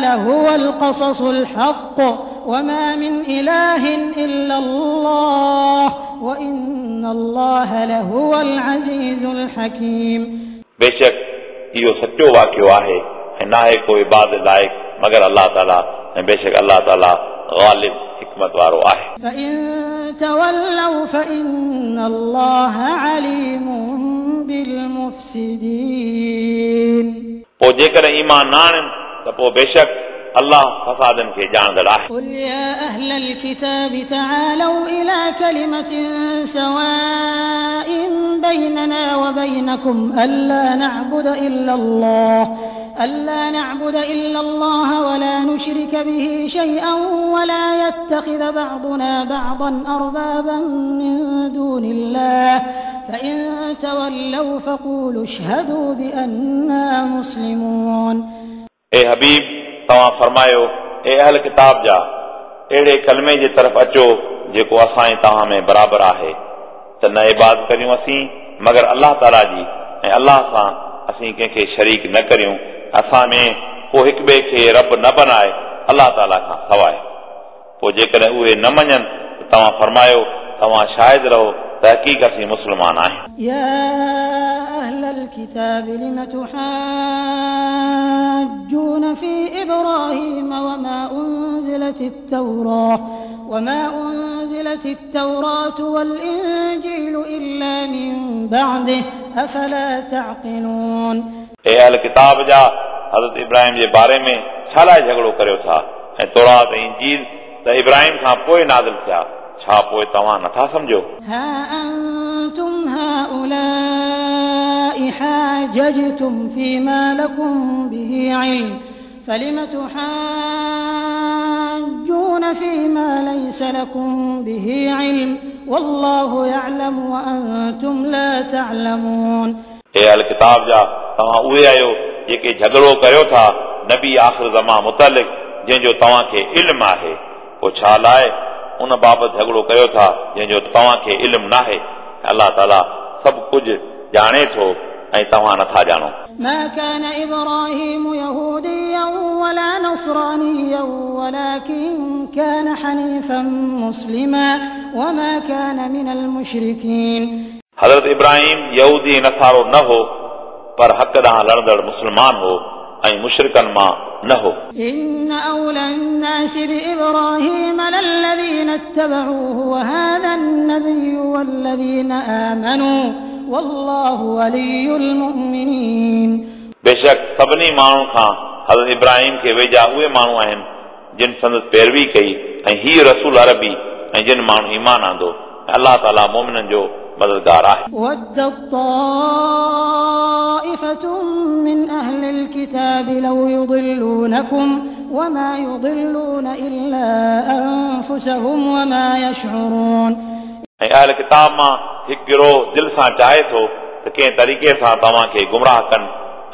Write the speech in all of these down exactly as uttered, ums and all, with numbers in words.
لهو القصص الحق وما من إله إلا الله وإن الله لهو العزيز الحكيم. बेशक इहो सचो वाक़ियो आहे ऐं नाहे को इबादत लाइक़ मगर अल्लाह ताला ऐं बेशक अल्लाह ताला ग़ालिब हिकमत वारो आहे। فإن تولوا فإن الله عليم بالمفسدين. पोइ जेकॾहिं ईमान न आणनि त पोइ बेशक अल्लाह फसादनि खे ॼाणंदड़ आहे। قل يا أهل الكتاب تعالوا إلى كلمة سواء بيننا وبينكم ألا نعبد إلا الله ألا نعبد إلا الله ولا نشرك به شيئا ولا يتخذ بعضنا بعضا أربابا من دون الله فإن تولوا فقولوا اشهدوا بأننا مسلمون. ए हबीब, तव्हां फरमायो, ए अहल किताब जा, अहिड़े कलमे जे तरफ़ अचो जेको असां ऐं तव्हां में बराबरि आहे, त न इबादत करियूं असीं मगर अल्लाह ताला जी, ऐं अल्लाह सां असीं कंहिंखे शरीक न करियूं, असां में को हिक ॿिए खे रब न बनाए अल्लाह ताला खां सवाइ। पोइ जेकॾहिं उहे न मञनि त तव्हां फरमायो, तव्हां शाहिद रहो, तहक़ीक़ असीं मुस्लमान आहियूं। يا أهل الكتاب لم تحاجون في إبراهيم وما أنزلت التوراة وما أنزلت التوراة والإنجيل إلا من بعده أفلا تعقلون. ए अहल किताब जा, हज़रत इब्राहिम जे बारे में छा लाइ झगड़ो करियो था? ऐं तौरात ऐं इंजील त इब्राहिम खां पोइ नाज़िल थिया, छा पोइ तव्हां नथा सम्झो? ها أنتم هؤلاء حاججتم فيما لكم به علم فلم تحاجون فيما ليس لكم به علم والله يعلم وأنتم لا تعلمون. ए अहल किताब जा, तव्हां उहे आहियो जेके झगड़ो करियो था नबी आख़िर ज़मा मुतालिक़, जंहिंजो तव्हांखे इल्मु आहे, पोइ छा लाइ उन बाबति झगड़ो कयो था जंहिंजो तव्हांखे इल्मु नाहे? अल्लाह ताला सभु कुझु ॼाणे थो ऐं तव्हां नथा ॼाणो। ما كان إبراهيم يهوديا ولا نصرانيا ولكن كان حنيفا مسلما وما كان من المشركين. हज़रत इब्राहिम यहूदी ऐं नसारो न हो, पर हक़ ॾांहुं लड़ंदड़ मुस्लमान हो ऐं मुशरिकनि मां न हो। إن أولى الناس بإبراهيم للذين اتبعوه وهذا النبي والذين آمنوا والله ولي المؤمنين. बेशक सभिनी माण्हुनि खां हज़रत इब्राहिम खे वेझा उहे माण्हू आहिनि जिन संदसि पैरवी कई, ऐं हीउ रसूल अरबी ऐं जिन माण्हू ईमान आंदो, ऐं अल्लाह ताला मोमिननि जो मददगार आहे। ودت طائفة من أهل الكتاب لو يضلونكم وما يضلون إلا أنفسهم وما يشعرون. ऐं अहल किताब मां हिकु गिरोह दिलि सां चाहे थो त कंहिं तरीक़े सां तव्हांखे गुमराह कनि,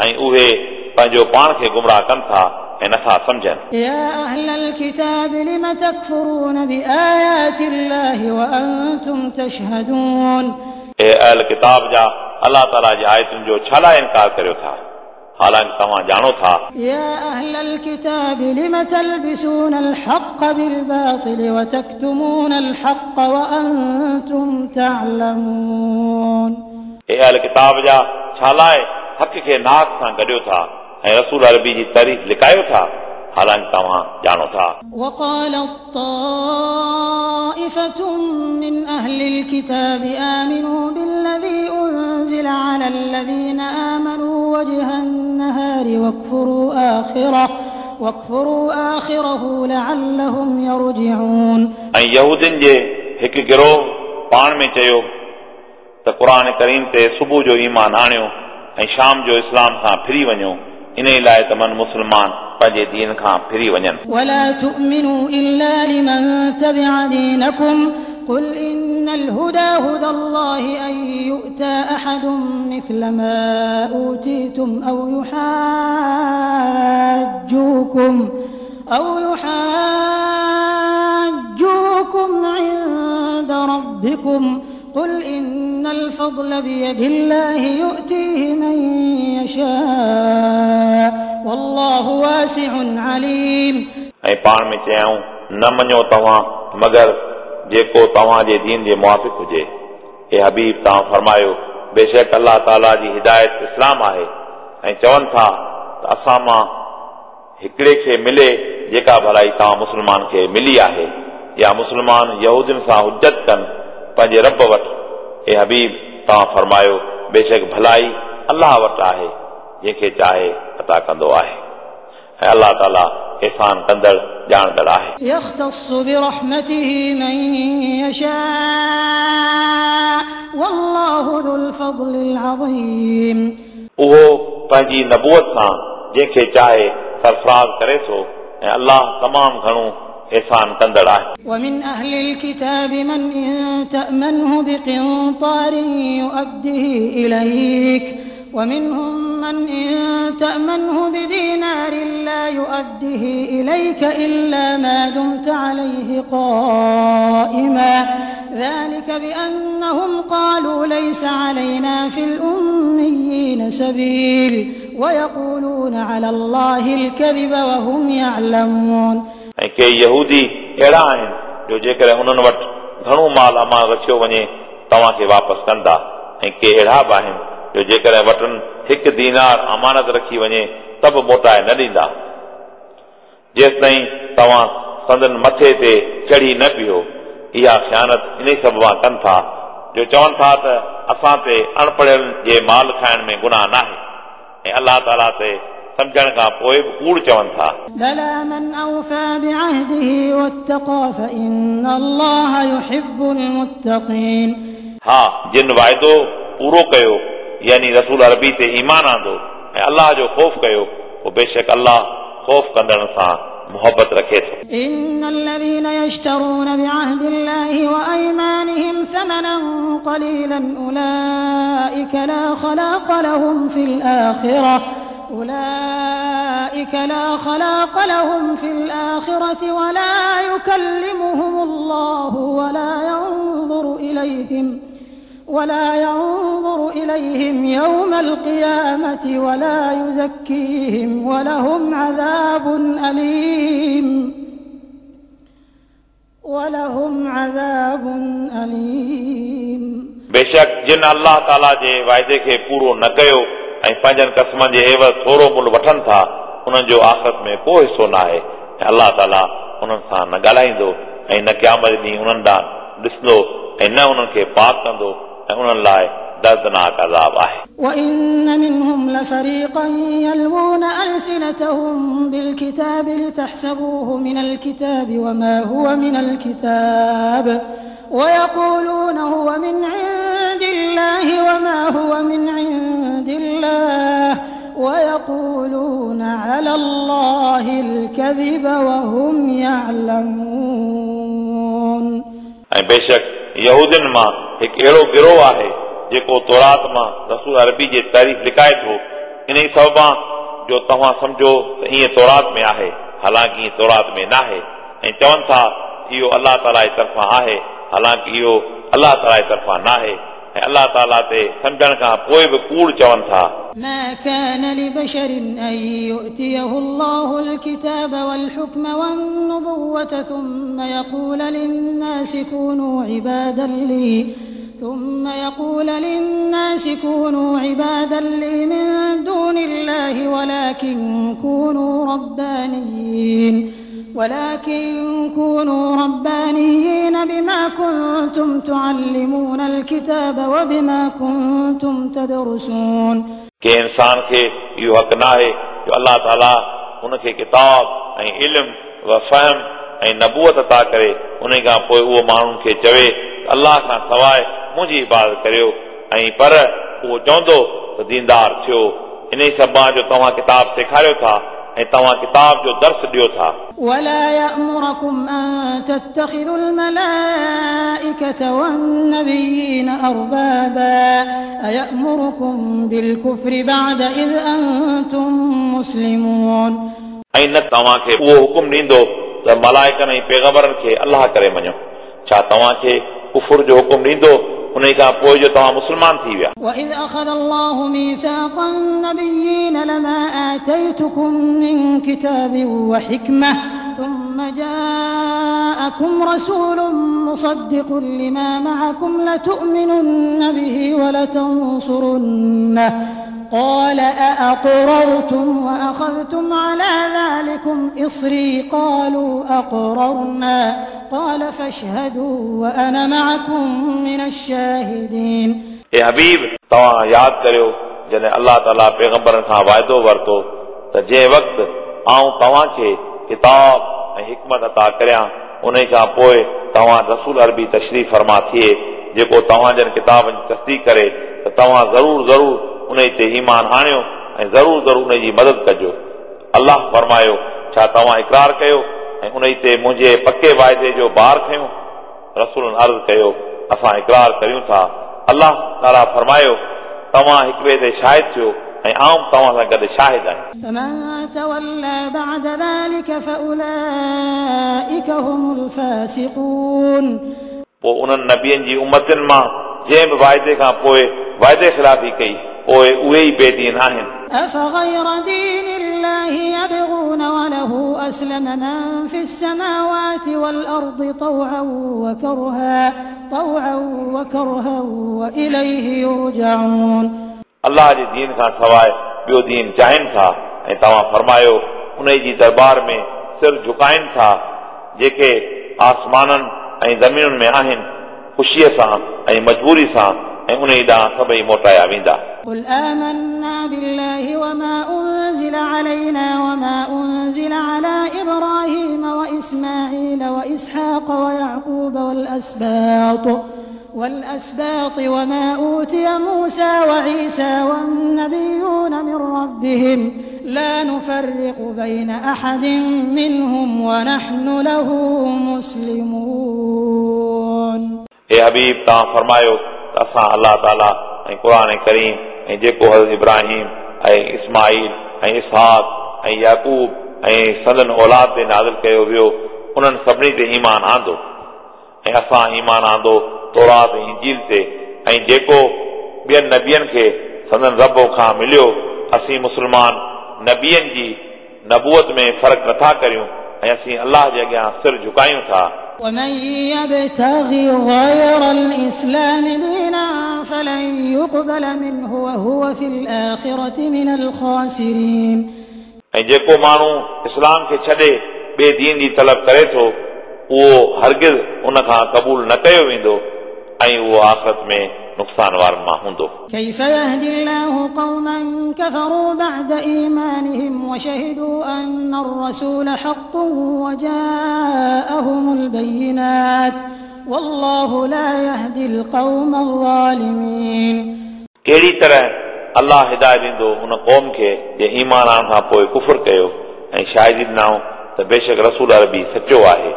ऐं उहे पंहिंजो पाण खे गुमराह कनि था ऐं नथा सम्झनि। يا أهل الكتاب لم تكفرون بآيات الله وأنتم تشهدون. ए अहल किताब जा, अल्लाह ताला जी आयतुनि जो छा लाइ इनकार करियो था, हालांकि तव्हां ॼाणो था? يا أهل الكتاب لم تلبسون الحق بالباطل وتكتمون الحق وأنتم تعلمون. ए अहल किताब जा, छा लाइ हक़ खे नाहक़ सां गॾियो था ऐं रसूल अरबी जी तारीफ़ लिकायो था, हालांकि तव्हां ॼाणो था? وقالت طائفة من أهل الكتاب آمنوا بالذي أنزل على الذين آمنوا وجه النهار واكفروا آخره واكفروا آخره لعلهم يرجعون. ऐं यहूदियुनि जे हिकु गिरोह पाण में चयो त क़ुर करीम ते सुबुह जो ईमान आणियो ऐं शाम जो इस्लाम खां फिरी वञो, इन लाइ त मन मुस्लमान पंहिंजे दीन खां फिरी वञनि। ولا تؤمنوا إلا لمن تبع دينكم قل إن الهدى هدى الله أن يؤتى أحد مثل ما أوتيتم أو يحاجوكم أو يحاجوكم عند ربكم قل إن الفضل بيد الله يؤتيه من يشاء والله واسع عليم. ऐं पाण में चयाऊं न मञो तव्हां मगर जेको तव्हांजे दीन जे मुआफ़िक़ हुजे। ए हबीब तव्हां फरमायो बेशक अलाह ताला जी हिदायत इस्लाम आहे ऐं चवनि था त असां मां हिकिड़े खे मिले जेका भलाई तव्हां मुस्लमान खे मिली आहे या मुस्लमान यहूदियुनि सां हुजत कनि पंहिंजे रब वटि। ए हबीब तव्हां फरमायो बेशक भलाई अलाह वटि आहे जंहिंखे चाहे अता कंदो आहे ऐं अलाह ताला एहसान कंदड़ ॼाणंदड़ आहे। يختص برحمته من يشاء والله ذو الفضل العظيم. उहो पंहिंजी नबूअत सां जंहिंखे चाहे सरफराज़ करे थो ऐं अलाह तमामु घणो एहसान कंदड़ आहे। ومن أهل الكتاب من إن تأمنه بقنطار يؤده إليك ومنهم من إن تأمنه بدينار لا يؤده إليك إلا ما دمت عليه قائما ذلك بأنهم قالوا ليس علينا في الأميين سبيل ويقولون على الله الكذب وهم يعلمون. ऐं के यहूदी अहिड़ा आहिनि जो जेकॾहिं उन्हनि वटि घणो माल अमान रखियो वञे तव्हांखे वापसि कंदा ऐं के अहिड़ा बि आहिनि जो जेकॾहिं वटनि हिकु दीनार अमानत रखी वञे त बि मोटाए न ॾींदा जेसि ताईं तव्हां संदन मथे ते चढ़ी न बीहो। इहा ख़ियानत इन सबबा कनि था जो चवनि था त असां ते अणपढ़ियल जे माल खाइण में गुनाह नाहे ऐं अलाह ताला ते सम्झण खां पोइ बि कूड़ चवनि था। بلى من أوفى بعهده واتقى فإن الله يحب المتقين. हा जिन वाइदो पूरो कयो यानी रसूल अरबी ते ईमान आंदो ऐं अलाह जो ख़ौफ़ कयो पोइ बेशक अलाह ख़ौफ़ कंदड़ सां मोहबत रखे थो। إن الذين يشترون بعهد الله وأيمانهم ثمنا قليلا أولئك لا خلاق لهم في الآخرة أولئك لا خلاق لهم في الآخرة ولا يكلمهم الله ولا ينظر إليهم ولا ينظر إليهم يوم القيامة ولا يزكيهم ولهم عذاب أليم ولهم عذاب أليم. बेशक जिन अलाह ताला जे वाइदे खे पूरो न कयो ऐं पंहिंजनि क़स्मनि जे एवज़ थोरो मुल वठनि था उन्हनि जो आख़िरत में को हिसो न आहे ऐं अलाह ताला उन्हनि सां न ॻाल्हाईंदो ऐं न क़यामत ॾींहुं उन्हनि ॾांहुं ॾिसंदो ऐं न उन्हनि खे पाक कंदो ऐं उन्हनि लाइ दर्दनाक अज़ाब आहे। وإن منهم لفريقا يلوون ألسنتهم بالكتاب لتحسبوه من الكتاب وما هو من الكتاب ويقولون هو من عند الله وما هو من عند الله ويقولون على الله الكذب وهم يعلمون. ऐं बेशक यहूदियुनि मां हिकु अहिड़ो गिरोह आहे जेको तौरात मां रसूल अरबी जी तारीफ़ लिखाए थो इन ई सबबा जो तव्हां सम्झो त ईअं तौरात में आहे हालांकि ईअं तौरात में न आहे ऐं चवनि था इहो अलाह ताला जी तरफ़ां आहे हालांकि इहो अलाह ताला जी तरफ़ां न आहे ऐं अलाह ताला ते सम्झण खां पोइ बि कूड़ चवनि था। ما كان لبشر أن يؤتيه الله الكتاب والحكم والنبوة ثم يقول للناس كونوا عبادا لي ثم يقول للناس كونوا عبادا لي من دون الله ولكن كونوا ربانيين ولكن كونوا ربانيين بما كنتم تعلمون الكتاب وبما كنتم تدرسون. कंहिं इंसान खे इहो हक़ न आहे जो अलाह ताला उनखे किताब ऐं इल्म व फ़हम ऐं नबूअत अता करे उन खां पोइ उहो माण्हुनि खे चवे त अलाह खां सवाइ मुंहिंजी इबादत करियो ऐं पर उहो चवंदो त दीनदार थियो इन ई सबबा जो तव्हां किताब सेखारियो था ऐं तव्हां किताब जो दर्स ॾियो था। ولا يأمركم أن تتخذوا الملائكة والنبيين أربابا أيأمركم بالكفر بعد إذ أنتم مسلمون. ऐं न तव्हांखे उहो हुकुम ॾींदो त मलाइकनि ऐं पैगंबरनि खे अलाह करे मञो। छा तव्हांखे कुफुर जो हुकुम ॾींदो उन खां पोइ जो तव्हां मुस्लमान थी विया। وإذ أخذ الله ميثاق النبيين لما آتيتكم من كتاب وحكمة ثم جاءكم رسول مصدق لما معكم لتؤمنن به ولتنصرنه قال أأقررتم وأخذتم على ذلكم إصري قالوا أقررنا قال فاشهدوا وأنا معكم من الشاهدين। ए हबीब, तव्हां यादि करियो जॾहिं अलाह ताला पैगंबरनि खां वाइदो वरितो त जंहिं वक़्तु आउं तव्हांखे किताब ऐं हिकमत अता करियां उन खां पोइ तव्हां रसूल अरबी तशरीफ़ फरमा थिए जेको तव्हां जन किताबनि जी तस्दीक करे त तव्हां ज़रूर ज़रूर उन ते ईमान आणियो ऐं ज़रूर ज़रूर उन जी मदद कजो। अलाह फरमायो, छा तव्हां इकरार कयो ऐं उन ते मुंहिंजे पके वाइदे जो बार खयो? रसूलनि अर्ज़ कयो, असां इकरार करियूं था। अलाह ताला फरमायो, तव्हां हिक ॿिए ते शाहिद थियो ऐं आउं तव्हां सां गॾु शाहिद आहियां। فمن تولى بعد ذلك فأولئك هم الفاسقون। पोइ उन्हनि नबियनि जी उमतनि मां जंहिं बि वाइदे खां पोइ वाइदे ख़िलाफ़ी कई पोइ उहे ई बेदीन आहिनि। أفغير دين الله يبغون وله أسلم من في السماوات والأرض طوعا وكرها طوعا وكرها وإليه يرجعون। अलाह जे दीन खां सवाइ ॿियो दीन चाहिनि था ऐं तव्हां फरमायो उन जी दरबार में सिर झुकाइनि था जेके आसमाननि ऐं ज़मीनुनि में आहिनि ख़ुशीअ सां ऐं मजबूरी सां ऐं उन ॾांहुं सभई मोटाया वेंदा। قل آمنا بالله وما أنزل علينا وما أنزل على إبراهيم وإسماعيل وإسحاق ويعقوب والأسباط والأسباط وما أوتي موسى وعيسى والنبيون من ربهم لا نفرق بين أحد منهم ونحن له مسلمون। ए हबीब, तव्हां फरमायो त असां अलाह ताला ऐं क़ुर करीम ऐं जेको हज़रत इब्राहिम ऐं इस्माईल ऐं इसहाक ऐं याकूब ऐं संदन औलाद ते नाज़िल कयो वियो उन्हनि सभिनी ते ईमान आंदो ऐं असां ईमान आंदो तौरात ऐं इंजील ते ऐं जेको ॿियनि नबियनि खे संदन रब खां मिलियो असीं मुस्लमान नबियनि जी नबूअत में फ़र्क़ु नथा करियूं ऐं असीं अलाह जे अॻियां सिर झुकायूं था। ومن يبتغ غير الإسلام دينا فلن يقبل منه وهو في الآخرة من الخاسرين। ऐं जेको माण्हू इस्लाम खे छॾे ॿिए दीन जी तलब करे थो उहो हरगिज़ उन खां क़बूल न कयो वेंदो ऐं उहो आख़िरत में नुक़सान वारनि मां हूंदो। كيف يهدي الله قوما كفروا بعد إيمانهم وشهدوا أن الرسول حق وجاءهم البينات والله لا يهدي القوم الظالمين। कहिड़ी तरह अलाह हिदायत ॾींदो उन क़ौम खे जे ईमान आणण खां पोइ कुफुर कयो ऐं शाहिदी ॾिनऊं त बेशक रसूल अरबी सचो आहे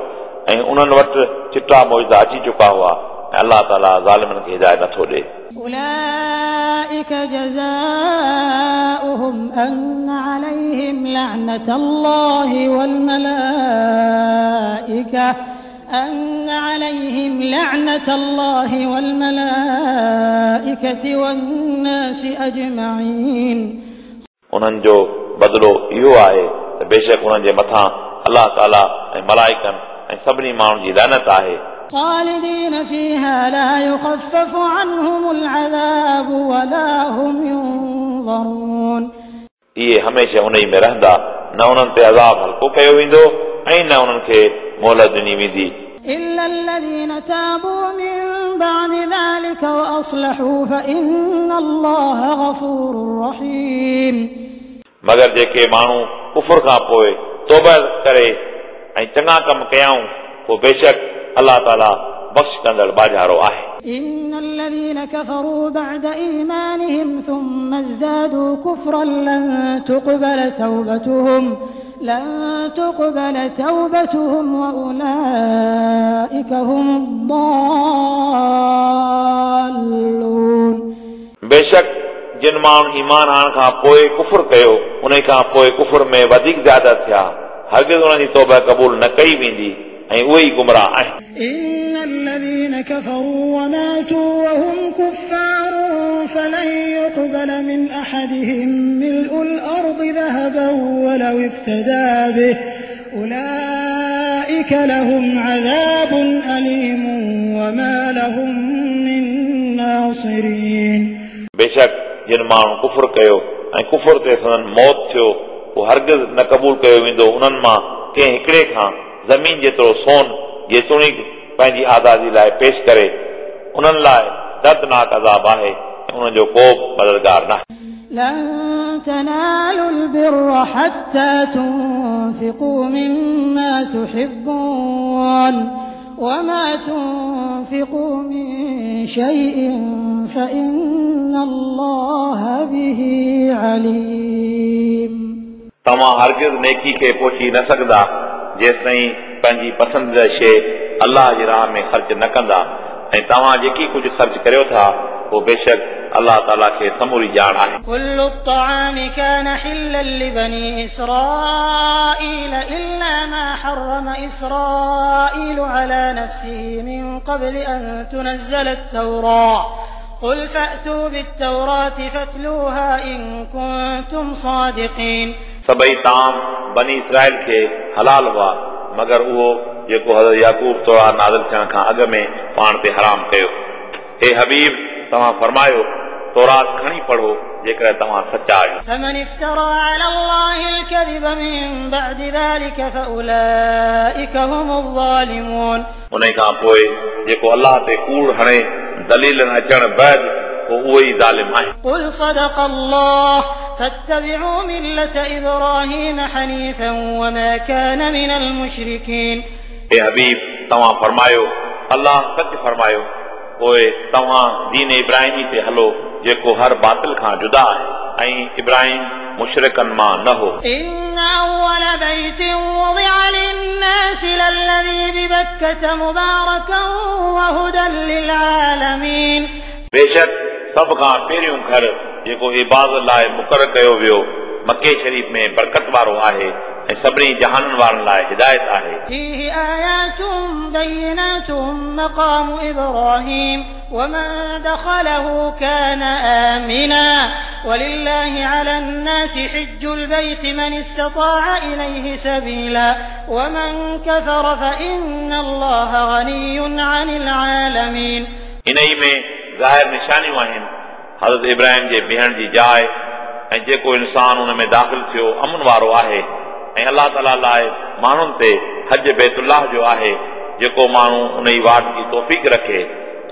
ऐं उन्हनि वटि चिटा मौजूदा अची चुका हुआ ऐं अलाह ताला ज़ालिमनि खे हिदायत नथो ॾिए। أولئك جزاؤهم أن عليهم لعنة الله والملائكة أن عليهم لعنة الله والملائكة والناس أجمعين। उन्हनि जो बदिलो इहो आहे त बेशक उन्हनि जे मथां अलाह ताला ऐं मलाइकनि ऐं सभिनी माण्हुनि जी लानत आहे। خالدين فيها لا يخفف عنهم العذاب ولا هم ينظرون। इहे हमेशह उन में रहंदा, न उन्हनि ते अज़ाब हल्को कयो वेंदो ऐं न उन्हनि खे मोहलत ॾिनी वेंदी। إلا الذين تابوا من بعد ذلك وأصلحوا فإن الله غفور رحيم। मगर जेके माण्हू कुफुर खां पोइ तौबा करे ऐं चङा कम कयाऊं पोइ बेशक अलाह ताला बख़्श कंदड़ बाजारो आहे। إن الذين كفروا بعد إيمانهم ثم ازدادوا كفرا لن تقبل توبتهم لن تقبل توبتهم وأولئك هم الضالون। बेशक जिन माण्हुनि ईमान आणण खां पोइ कुफुर कयो उन खां पोइ कुफुर में वधीक ज़्यादा थिया हरगिज़ उन्हनि जी तौबा क़बूल न कई वेंदी ऐं उहे ई गुमराह आहिनि। إن الذين كفروا وماتوا وهم يقبل من أحدهم ملء الأرض ذهبا ولو افتدى به أولئك لهم عذاب أليم وما لهم من ناصرين. बेशक जिन माण्हू कुफुर कयो ऐं कुफुर ते संदन मौत थियो उहो हरगिज़ न क़बूल कयो वेंदो उन्हनि मां कंहिं हिकिड़े खां ज़मीन जेतिरो सोन जेतोणीकि पंहिंजी आज़ादी लाइ पेश करे उन्हनि लाइ दर्दनाक अज़ाब आहे ऐं उन्हनि जो को बि मददगार न आहे. لن تنالوا البر حتى تنفقوا مما تحبون وما تنفقوا من شيء فإن الله به عليم. तव्हां हरगिज़ नेकी खे पहुची न सघंदा जेसिताईं पंहिंजी पसंदीदा शइ अल्लाह जी राह में ख़र्च न कंदा ऐं तव्हां जेकी कुझु ख़र्च करियो था उहो बेशक अल्लाह ताला खे समूरी ॼाण आहे. كل الطعام كان حلا لبني إسرائيل إلا ما حرم إسرائيل على نفسه من قبل أن تنزل التوراة قل فأتوا بالتوراة فاتلوها إن كنتم صادقين. सभई ताम बनी इसराइल खे हलाल हुआ मगर उहो जेको हज़रत याकूब तौरात नाज़िल थियण खां अॻु में पाण ते हराम कयो. हे हबीब तव्हां फरमायो तौरात खणी पढ़ो जेकॾहिं तव्हां सचा आहियो. فمن افترى على الله الكذب من بعد ذلك فأولئك هم الظالمون. उन खां पोइ जेको अल्लाह ते कूड़ हणे दलीलनि अचण बाद पोइ उहो ई ज़ालिम आहे. قل صدق الله فاتبعوا ملة إبراهيم حنيفا وما كان من المشركين. हे हबीब तव्हां फरमायो अल्लाह सच फरमायो पोइ तव्हां दीन इब्राहिमी ते हलो जेको हर बातिल खां जुदा आहे ऐं इब्राहिम मुशरिकनि मां न हो. إن أول بيت وضع للناس للذي ببكة مباركا وهدى للعالمين. बेशक सभ खां पहिरियों घर जेको इबादत लाइ मुक़ररु कयो वियो मक्के शरीफ़ में बरकत वारो आहे ऐं सभिनी जहाननि वारनि लाइ हिदायत आहे. فيه آيات بينات مقام إبراهيم ومن دخله كان آمنا ولله على الناس حج البيت من استطاع إليه سبيلا ومن كفر فإن الله غني عن العالمين. इन ई में ज़ाहिर निशानियूं आहिनि हज़रत इब्राहिम जे बीहण जी जाइ ऐं जेको इंसान उन में दाख़िल थियो अमन वारो आहे ऐं अल्लाह ताला लाइ माण्हुनि ते हज बैतुल्लाह जो आहे जेको माण्हू उन ई वाट जी तौफ़ीक़ रखे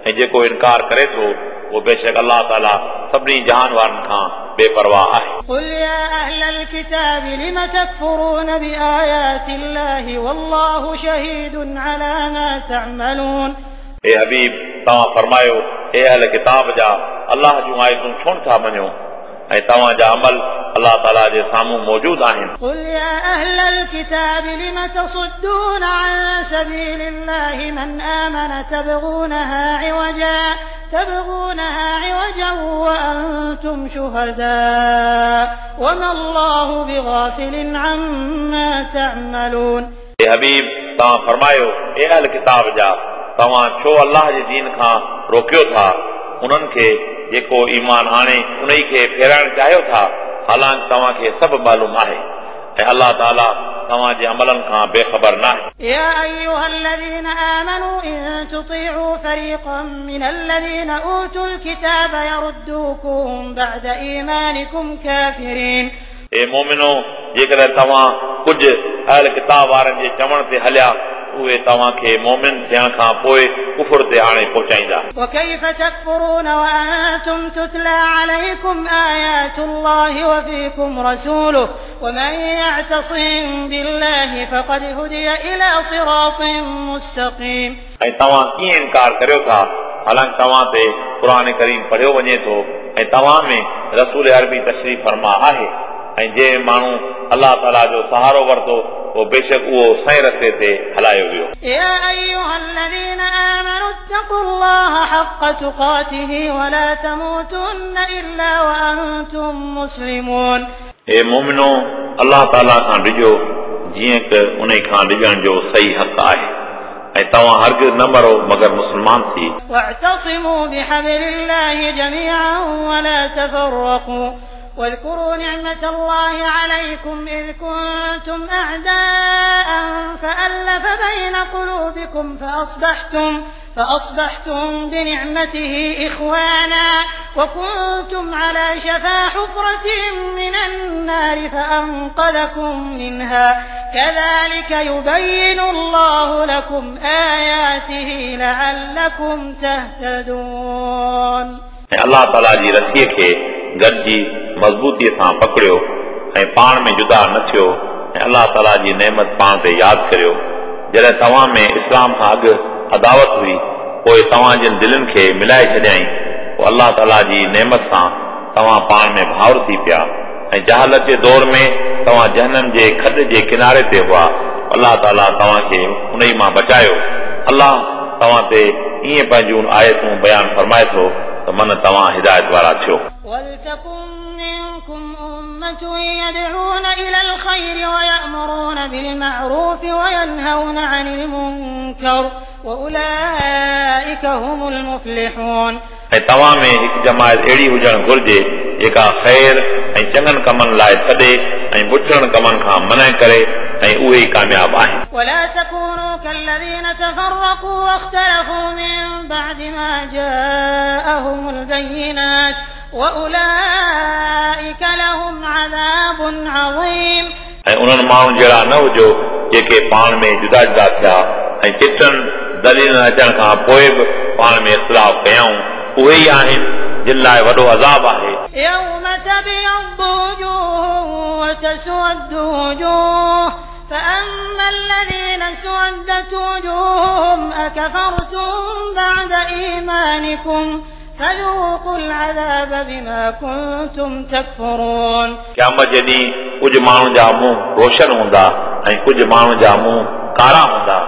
ऐं जेको इनकार करे थो उहो बेशक अल्लाह ताला सभिनी जहान वारनि खां बेपरवाह आहे. قل يا أهل الكتاب لم تكفرون بآيات الله والله شهيد على ما تعملون. हे हबीब तव्हां फरमायो हे अहल किताब जा अल्लाह जूं आयतूं छो नथा मञो ऐं तव्हांजा अमल अल्लाह ताला जे साम्हूं मौजूद आहिनि. قل يا أهل الكتاب لم تصدون عن سبيل الله من آمن تبغونها عوجا تبغونها عوجا وأنتم شهداء وما الله بغافل عما تعملون. हे हबीब तव्हां फरमायो हे अहल किताब जा तव्हां छो अल्लाह जे दीन खां रोकियो था उन्हनि खे जेको ईमान आणे उन खे फेराइण चाहियो था हालांकि तव्हांखे सभु मालूम आहे ऐं अल्लाह ताला तव्हांजे अमलनि खां बेख़बर न आहे. يا أيها الذين آمنوا إن تطيعوا فريقا من الذين أوتوا الكتاب يردوكم بعد إيمانكم كافرين. ए मोमिनो जेकॾहिं तव्हां कुझु अहल किताब वारनि जे चवण ते हलिया उहे तव्हांखे मोमिन थियण खां पोइ कुफुर ते आणे पहुचाईंदा. وكيف تكفرون وأنتم تتلى عليكم آيات الله وفيكم رسوله ومن يعتصم بالله فقد هدي إلى صراط مستقيم. ऐं तव्हां कीअं इनकार करियो था हालांकि तव्हां ते क़ुर करीम पढ़ियो वञे थो ऐं तव्हां में रसूल अरबी तशरीफ़ फरमा आहे ऐं जंहिं माण्हू अल्लाह ताला जो सहारो वरितो उहो बेशक उहो सही रस्ते ते हलायो वियो. يا أيها الذين آمنوا اتقوا الله حق تقاته ولا تموتن إلا وأنتم مسلمون. हे मोमिनो अल्लाह ताला खां डिॼो जीअं त उन खां डिॼण जो सही हक़ आहे ऐं तव्हां हरगिज़ न मरो मगर मुस्लमान थी। واعتصموا بحبل الله جميعا ولا تفرقوا واذكروا نعمة الله عليكم إذ كنتم أعداء فألف بين قلوبكم فأصبحتم فأصبحتم بنعمته إخوانا وكنتم على شفا حفرة من النار فأنقذكم منها كذلك يبين الله لكم آياته لعلكم تهتدون। ऐं अलाह ताला जी रसीअ खे गॾिजी मज़बूतीअ सां पकड़ियो ऐं पाण में जुदा न थियो ऐं अलाह ताला जी नेमत पाण ते यादि करियो। जॾहिं तव्हां में इस्लाम खां अॻु अदावत हुई पोइ तव्हां जिन दिलनि खे मिलाए छॾियाईं पोइ अलाह ताला जी नेमत सां तव्हां पाण में भाउर थी पिया ऐं जहालत जे दौर में तव्हां जहनम जे खॾ जे किनारे ते हुआ। अलाह ताला तव्हांखे उन ई मां बचायो। अलाह तव्हां ते ईअं पंहिंजूं आयतूं बयानु फरमाए थो त मन तव्हां हिदायत वारा थियो। ولتكن منكم أمة يدعون إلى الخير ويأمرون بالمعروف وينهون عن المنكر وأولئك هم المفلحون। ऐं तव्हां में हिकु जमायत अहिड़ी हुजणु घुरिजे जेका ख़ैर ऐं चङनि कमनि लाइ सॾे ऐं बुठड़नि कमनि खां मना करे ऐं उहे ई कामयाब आहिनि। ولا تكونوا كالذين تفرقوا واختلفوا من بعد ما جاءهم البينات وأولئك لهم عذاب عظيم। ऐं उन्हनि माण्हुनि जहिड़ा न हुजो जेके पाण में जुदा जुदा थिया ऐं चिटनि दलीलनि अचण खां पोइ बि पाण में इख़्तिलाफ़ कयाऊं, उहे ई आहिनि जिन लाइ वॾो अज़ाब आहे। يوم تبيض وجوه وتسود وجوه فأما الذين اسودت وجوههم أكفرتم بعد إيمانكم فذوقوا العذاب بما كنتم تكفرون। क़यामत जे ॾींहुं कुझु माण्हुनि जा मुंहुं रोशन हूंदा ऐं कुझु माण्हुनि जा मुंहुं कारा हूंदा,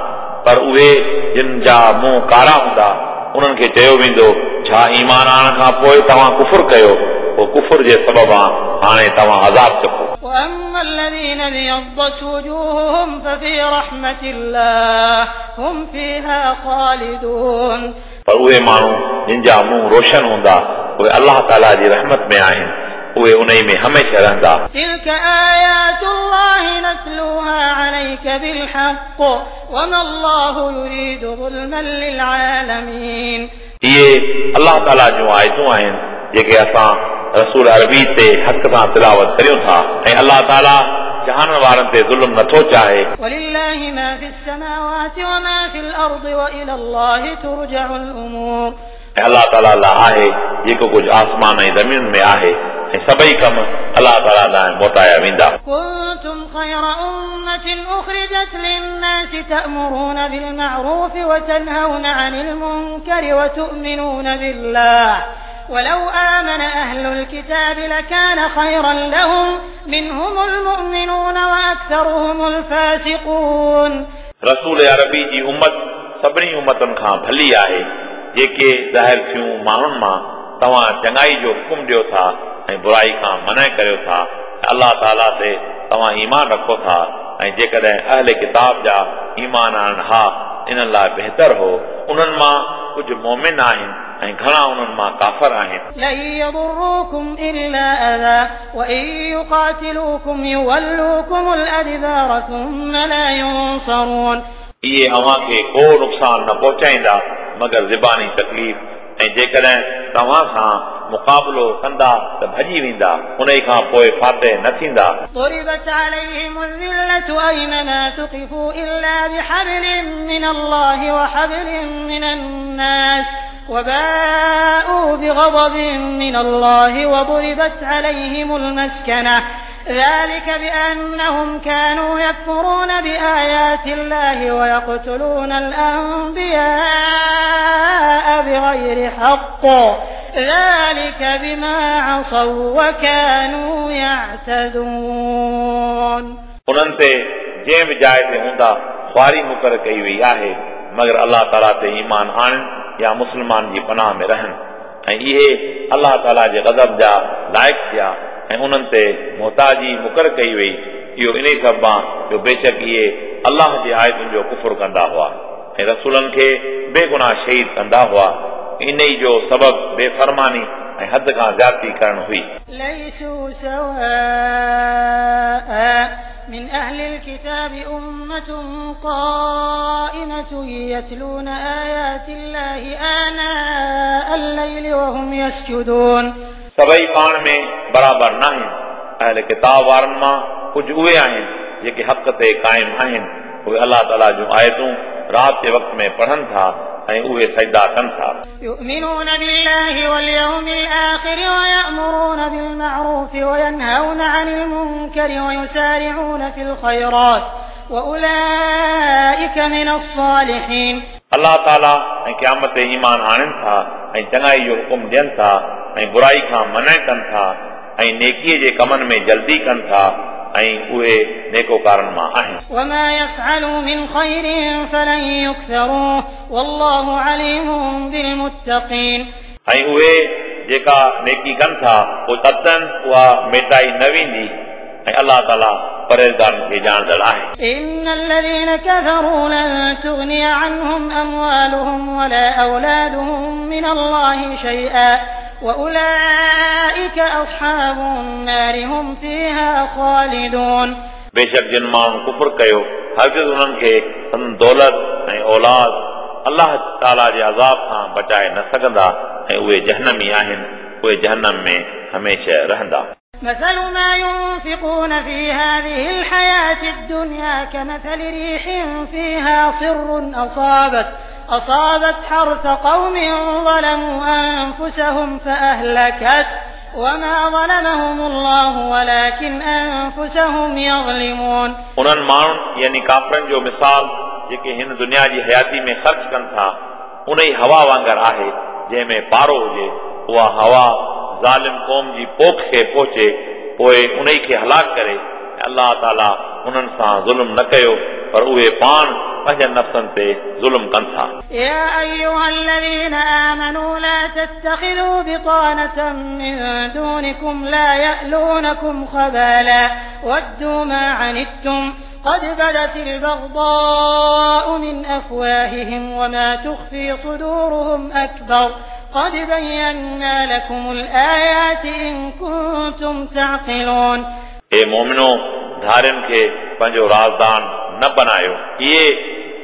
पर उहे जिन जा मुंहुं कारा हूंदा उन्हनि खे चयो वेंदो छा ईमान आणण खां पोइ तव्हां कुफुर कयो, पोइ कुफुर जे सबब हाणे तव्हां अज़ाब चखो। وأما الذين ابيضت وجوههم ففي رحمة الله هم فيها خالدون। पर उहे माण्हू जिन जा मुंहुं रोशन हूंदा उहे अलाह ताला जी रहमत में आहिनि, उहे उन में हमेशह रहंदा। تلك آيات الله نتلوها عليك بالحق وما الله يريد ظلما للعالمين। इहे अलाह ताला जूं आयतूं आहिनि जेके असां रसूल अरबी ते हक़ सां तिलावत करियूं था ऐं अलाह ताला जहान वारनि ते ज़ुल्म नथो चाहे। ولله ما في السماوات وما في الأرض وإلى الله ترجع الأمور। ऐं अलाह ताला लाइ आहे जेको कुझु आसमान ऐं ज़मीन में आहे ऐं सभई कम अलाह ताला ॾांहुं मोटाया वेंदा। كنتم خير أمة أخرجت للناس تأمرون بالمعروف وتنهون عن المنكر وتؤمنون بالله ولو آمن أهل الكتاب لكان خيرا لهم منهم المؤمنون وأكثرهم الفاسقون। रसूल अरबी जी उम्मत सभिनी उम्मतुनि खां भली आहे जेके ज़ाहिर थियूं माण्हुनि मां तव्हां चङाई जो हुकुम ॾियो था ऐं बुराई खां मना करियो था। अलाह ताला ते तव्हां ईमान रखो था ऐं जेकॾहिं अहले किताब जा ईमान आणनि हा इन्हनि लाइ बहितर हो। उन्हनि मां कुझु मोमिन आहिनि ऐं घणा उन्हनि मां काफ़र आहिनि। لن يضروكم إلا أذى وإن يقاتلوكم يولوكم الأدبار ثم لا ينصرون। इहे अव्हां खे को नुक़सानु न पहुचाईंदा मगर ज़बानी तकलीफ़ ऐं जेकॾहिं तव्हां सां मुक़ाबिलो कंदा त भॼी वेंदा, उन खां पोइ फ़ातिह न थींदा। ضربت عليهم الذلة أينما ثقفوا إلا بحبل من الله وحبل من الناس وباءوا بغضب من الله وضربت عليهم المسكنة ذلك بأنهم كانوا يكفرون بآيات الله ويقتلون الأنبياء بغير حق ذلك بما عصوا وكانوا يعتدون। उन्हनि ते जंहिं बि जाइ ते हूंदा ख़्वारी मुक़ररु कई वई आहे मगर अलाह ताला ते ईमान आणनि या मुस्लमान जी पनाह में रहनि ऐं इहे अलाह ताला जे ग़ज़ब जा लाइक़ थिया ऐं उन्हनि ते मोहताजी मुक़ररु कई वई। इहो इन सबबु जो बेशक इहे अलाह जे आयतुनि जो कुफुर कंदा हुआ ऐं रसूलनि खे बेगुनाह शहीद कंदा हुआ। इन ई जो सबब बेफरमानी ऐं हद खां ज़्यादती करणु हुई। ليسوا سواء من أهل الكتاب أمة قائمة يتلون آيات الله آناء الليل وهم يسجدون। सभई पाण में बराबरि न आहिनि। अहल किताब वारनि मां कुझु उहे आहिनि जेके हक़ ते क़ाइम आहिनि, उहे अलाह ताला जूं आयतूं राति जे वक़्त में पढ़नि था ऐं उहे सजदा कनि था। يؤمنون بالله واليوم الآخر ويأمرون بالمعروف وينهون عن المنكر ويسارعون في الخيرات وأولئك من الصالحين। अलाह ताला ऐं क़यामत ते ईमान आणनि था ऐं चङाई जो हुकुम ॾियनि था ऐं बुराई खां मना कनि था ऐं नेकीअ जे कमनि में जल्दी कनि था ऐं उहे नेकोकारनि मां आहिनि। وما يفعلوا من خير فلن يكفروه والله عليم بالمتقين। ऐं उहे जेका नेकी कनि था पोइ तदन उहा मेटाई न वेंदी ऐं अलाह ताला परहेज़गारनि खे ॼाणंदड़ आहे। إن الذين كفروا لن تغني عنهم أموالهم ولا أولادهم من الله شيئا وأولئك أصحاب النار هم فيها خالدون। बेशक जिन माण्हुनि कुफुर कयो हरगिज़ उन्हनि खे संदन दौलत ऐं औलाद अलाह ताला जे अज़ाब खां बचाए न सघंदा ऐं उहे जहनमी आहिनि, उहे जहनम में हमेशह रहंदा। مثل ما ينفقون في هذه الحياة الدنيا كمثل ريح فيها صر أصابت أصابت حرث قوم ظلموا أنفسهم فأهلكت وما ظلمهم الله ولكن أنفسهم يظلمون। उन्हनि माण्हुनि यानी काफ़रनि जो मिसाल जेके हिन दुनिया जी हयाती में ख़र्च कनि था उन ई हवा वांगुरु आहे जंहिं में पारो हुजे, उहा हवा ज़ालिम क़ौम जी पोख खे पहुचे पोइ उन खे हलाक करे। अलाह ताला उन्हनि सां ज़ुल्म न कयो पर उहे पाण पंहिंजनि नफ़्सनि ते ज़ुल्म कनि था। يا أيها الذين آمنوا لا تتخذوا بطانة من دونكم لا يألونكم خبالا ودوا ما عنتم قد بدت البغضاء من أفواههم وما تخفي صدورهم أكبر قد بينا لكم الآيات إن كنتم تعقلون। ए मोमिनो, धारियुनि खे पंहिंजो राज़दान न बनायो, इहे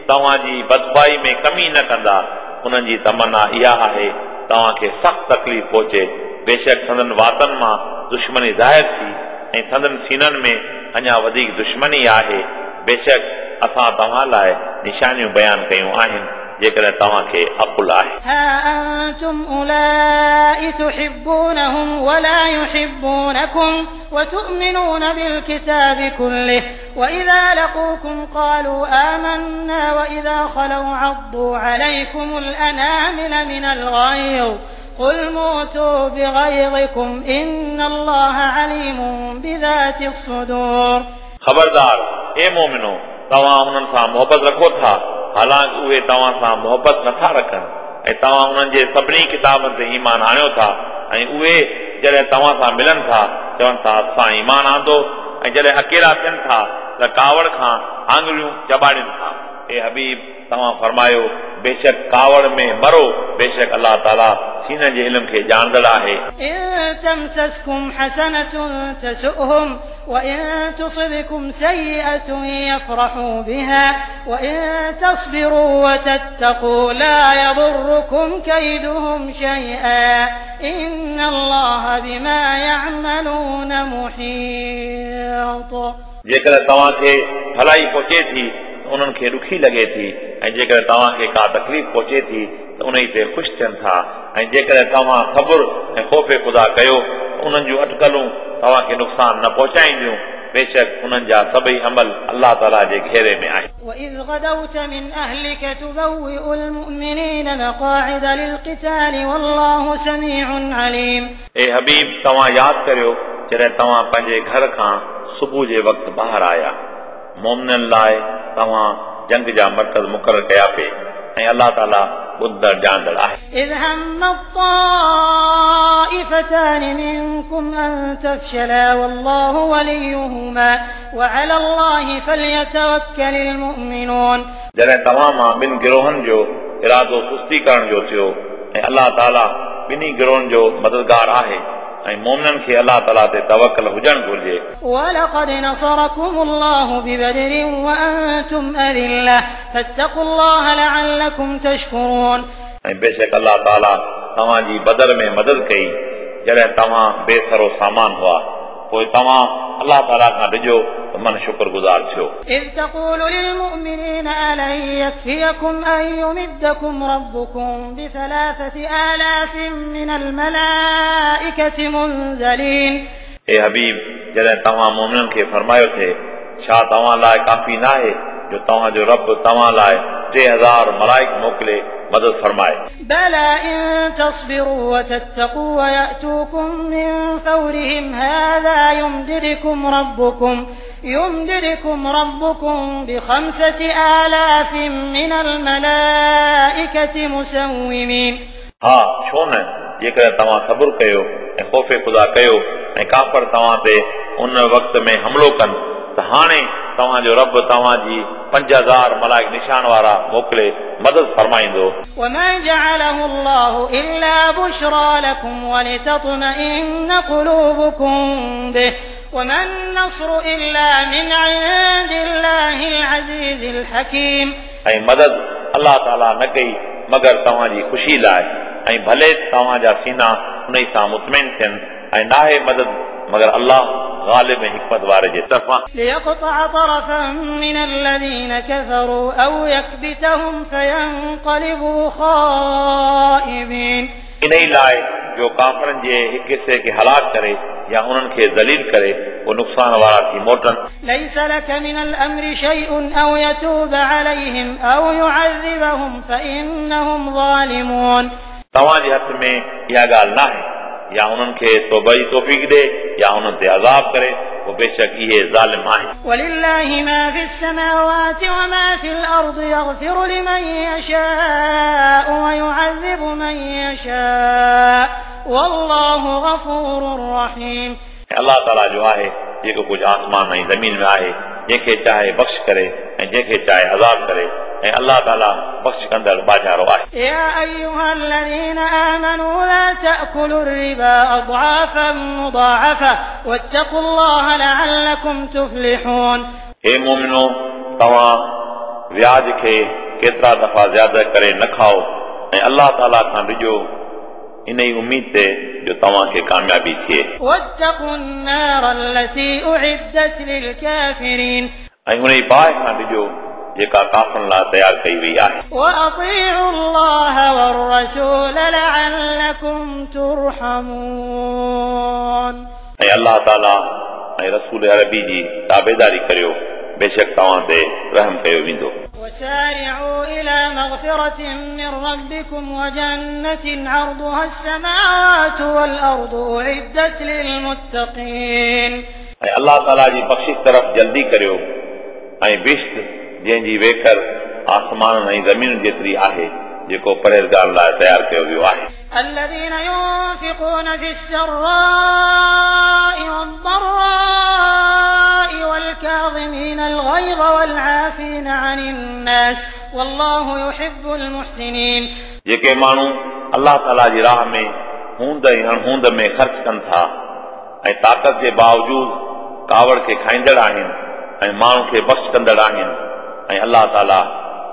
तव्हांजी बदबाई में कमी न कंदा। उन्हनि जी तमन्ना इहा आहे तव्हांखे सख़्तु तकलीफ़ पहुचे। बेशक संदन वातनि मां दुश्मनी ज़ाहिर थी ऐं संदन सीननि में अञा वधीक दुश्मनी आहे। बेशक असां तव्हां लाइ निशानियूं बयानु कयूं आहिनि जेकॾहिं तव्हांखे अकुल आहे। ها أنتم أولئك تحبونهم ولا يحبونكم وتؤمنون بالكتاب كله وإذا لقوكم قالوا آمنا وإذا خلوا عضوا عليكم الأنامل من الغيظ قل موتوا بغيظكم إن الله عليم بذات الصدور। ख़बरदार ए मोमिनो, तव्हां उन्हनि सां मोहबत रखो था हालांकि उहे तव्हां सां मोहबत नथा रखनि ऐं तव्हां उन्हनि जे सभिनी किताबनि ते ईमान आणियो था ऐं उहे जॾहिं तव्हां सां मिलनि था चवनि था असां ईमान आंदो ऐं जॾहिं अकेला थियनि था त कावड़ खां आङुरियूं चबाड़नि था। ए हबीब, तव्हां फरमायो बेशक कावड़ में मरो, बेशक अलाह ताला सीननि जे इल्म खे ॼाणंदड़ आहे। إن تمسسكم حسنة تسؤهم وإن تصبكم سيئة يفرحوا بها وإن تصبروا وتتقوا لا يضركم كيدهم شيئا إن الله بما يعملون محيط। जेकॾहिं तव्हांखे भलाई पहुचे थी त उन्हनि खे ॾुखी लॻे थी ऐं जेकॾहिं तव्हांखे का तकलीफ़ पहुचे थी त उन ते ख़ुशि थियनि था ऐं जेकॾहिं तव्हां सब्र ऐं ख़ौफ़ ख़ुदा कयो त उन्हनि जूं अटकलूं तव्हांखे नुक़सानु न पहुचाईंदियूं। बेशक उन्हनि जा सभई अमल अलाह ताला जे घेरे में आहिनि। وإذ غدوت من أهلك تبوئ المؤمنين مقاعد للقتال والله سميع عليم। ए हबीब, तव्हां यादि करियो जॾहिं तव्हां पंहिंजे घर खां सुबुह जे वक़्तु ॿाहिरि आया, मोमिननि लाइ तव्हां जंग जा मर्कज़ मुक़ररु कया पे ऐं अलाह ताला ॿुधंदड़ ॼाणंदड़ आहे। إذ هم الطائفتان منكم أن تفشلا والله وليهما وعلى الله فليتوكل المؤمنون. जॾहिं तव्हां मां ॿिनि गिरोहनि जो इरादो सुस्ती करण जो थियो ऐं अलाह ताला ॿिन्ही गिरोहनि जो मददगार आहे ऐं मोमिननि खे अलाह ताला ते तवकल हुजणु घुर्जे. ولقد نصركم الله ببدر وأنتم أذلة فاتقوا الله لعلكم تشكرون. ऐं बेशक अलाह ताला तव्हांजी बदर में मदद कई जॾहिं तव्हां बेसरो सामान हुआ, पोइ तव्हां अलाह ताला खां डिॼो त मन शुक्रगुज़ार थियो. إذ تقول للمؤمنين ألن يكفيكم أن يمدكم ربكم بثلاثة آلاف من الملائكة منزلين. ए हबीब, जॾहिं तव्हां मोमिननि खे फरमायो थे, छा तव्हां लाइ काफ़ी न आहे जो तव्हांजो रब तव्हां लाइ टे हज़ार मलाइक मोकिले मदद फरमाए? بلى إن تصبروا وتتقوا ويأتوكم من فورهم هذا يمددكم ربكم يمددكم ربكم بخمسة آلاف من الملائكة مسومين. हा, छो न जेकॾहिं तव्हां सब्र कयो ऐं ख़ौफ़ ख़ुदा कयो ऐं काफ़र तव्हां ते उन वक़्त में हमलो कनि त हाणे तव्हांजो रब तव्हांजी पंज हज़ार मलाइक निशान वारा मोकिले मदद फरमाईंदो. وما جعله الله إلا بشرى لكم ولتطمئن قلوبكم به وما النصر إلا من عند الله العزيز الحكيم. ऐं मदद अलाह ताला न कई मगर तव्हांजी ख़ुशी लाइ ऐं भले तव्हांजा सीना उन सां मुतमिन थियनि ऐं नाहे मदद मगर अलाह ग़ालिब ऐं हिकमत वारे जे तरफ़ां. ليقطع طرفا من الذين كفروا أو يكبتهم فينقلبوا خائبين. इन ई लाइ जो काफ़रनि जे हिकु हिसे खे हलाक करे या उन्हनि खे ज़लील करे पोइ नुक़सान वारा थी मोटनि. ليس لك من الأمر شيء أو يتوب عليهم أو يعذبهم فإنهم ظالمون. तव्हांजे हथ में इहा ॻाल्हि न आहे या उन्हनि खे तौबा जी तौफ़ीक़ ॾे या उन्हनि ते अज़ाब करे, पोइ बेशक इहे ज़ालिम आहिनि. ولله ما في السماوات وما في الأرض يغفر لمن يشاء ويعذب من يشاء والله غفور رحيم. ऐं अलाह ताला जो आहे जेको कुझु आसमान ऐं ज़मीन में आहे, जंहिंखे चाहे बख़्श करे ऐं जंहिंखे चाहे अज़ाब करे, ऐं अलाह ताला बख़्श कंदड़ बाजारो आहे. يا أيها الذين آمنوا لا تأكلوا الربا أضعافا مضاعفة واتقوا الله لعلكم تفلحون. हे मोमिनो, तव्हां व्याज खे केतिरा दफ़ा ज़्यादा करे न खाओ ऐं अलाह ताला खां डिॼो इन ई उमेद ते जो तव्हांखे कामयाबी थिए. واتقوا النار التي أعدت للكافرين. ऐं उन ई बाहि खां डिॼो जेका काफ़रनि लाइ तयारु कई वई आहे. وأطيعوا الله والرسول لعلكم ترحمون. ऐं अलाह ताला ऐं रसूल अरबी जी ताबेदारी करियो, बेशक तव्हां ते रहम कयो वेंदो. وسارعوا إلى مغفرة من ربكم وجنة عرضها السماوات والأرض أعدت للمتقين. ऐं अलाह ताला जी बख़्शिश तरफ़ जल्दी करियो ऐं बिश्त जंहिंजी वेकर आसमान ऐं ज़मीन जेतिरी आहे, जेको परहेज़गार लाइ तयारु कयो वियो आहे. الذين ينفقون في السراء والضراء والكاظمين الغيظ والعافين عن الناس والله يحب المحسنين. जेके माण्हू अलाह ताला जी राह में हूंद ऐं अणहूंद में ख़र्च कनि था ऐं ताक़त जे बावजूद कावड़ खे खाईंदड़ आहिनि ऐं माण्हू खे बख़्श कंदड़ आहिनि ऐं अलाह ताला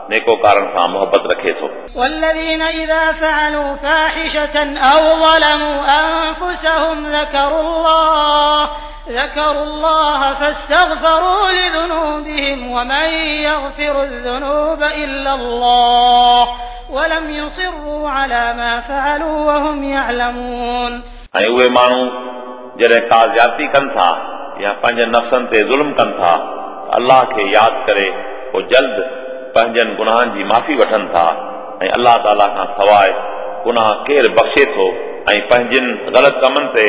नेकोकारनि सां मुहबत रखे थो. والذين إذا فعلوا فاحشة أو ظلموا أنفسهم ذكروا الله ذكروا الله فاستغفروا لذنوبهم ومن يغفر الذنوب إلا الله ولم يصروا على ما فعلوا وهم يعلمون. ऐं उहे माण्हू जॾहिं का ज़्यादती कनि था या पंहिंजनि नफ़्सनि ते ज़ुल्म कनि था, अलाह खे यादि करे पोइ जल्द पंहिंजनि गुनाहनि जी माफ़ी वठनि था ऐं अलाह ताला खां सवाइ गुनाह केरु बख़्शे थो ऐं पंहिंजनि ग़लति कमनि ते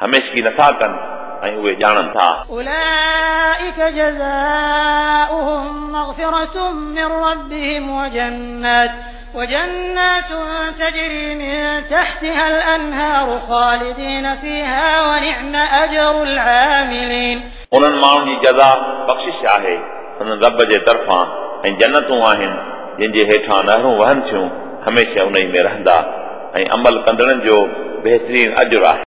हमेशगी नथा कनि ऐं उहे ॼाणनि था। أولئك جزاؤهم مغفرة من ربهم وجنات وجنات تجري من تحتها الأنهار خالدين فيها ونعم أجر العاملين. उन्हनि माण्हुनि जी जज़ा बख़्शिश आहे सदन रब जे तरफ़ां ऐं जन्नतूं आहिनि जिन जे हेठां नहरूं वहनि थियूं, हमेशह उन में रहंदा ऐं अमल कंदड़नि जो बहितरीन अजुर आहे।